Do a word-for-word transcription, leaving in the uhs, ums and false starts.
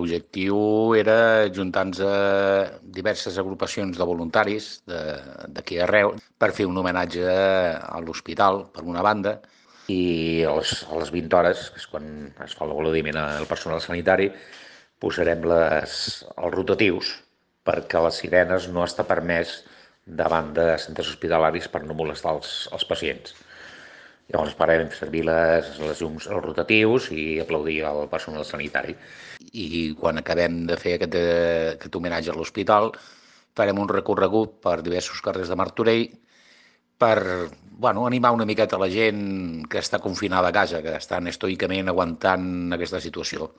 l'objectiu era juntar-nos a diverses agrupacions de voluntaris d'aquí arreu per fer un homenatge a l'hospital, per una banda, i a les, a les vint hores, que és quan es fa l'aplaudiment al personal sanitari, posarem les, els rotatius perquè les sirenes no està permès davant de centres hospitalaris per no molestar els, els pacients. Llavors farem servir les, les llums, els rotatius i aplaudir al personal sanitari. I quan acabem de fer aquest, aquest homenatge a l'hospital, farem un recorregut per diversos carrers de Martorell per bueno, animar una miqueta la gent que està confinada a casa, que estan estoicament aguantant aquesta situació.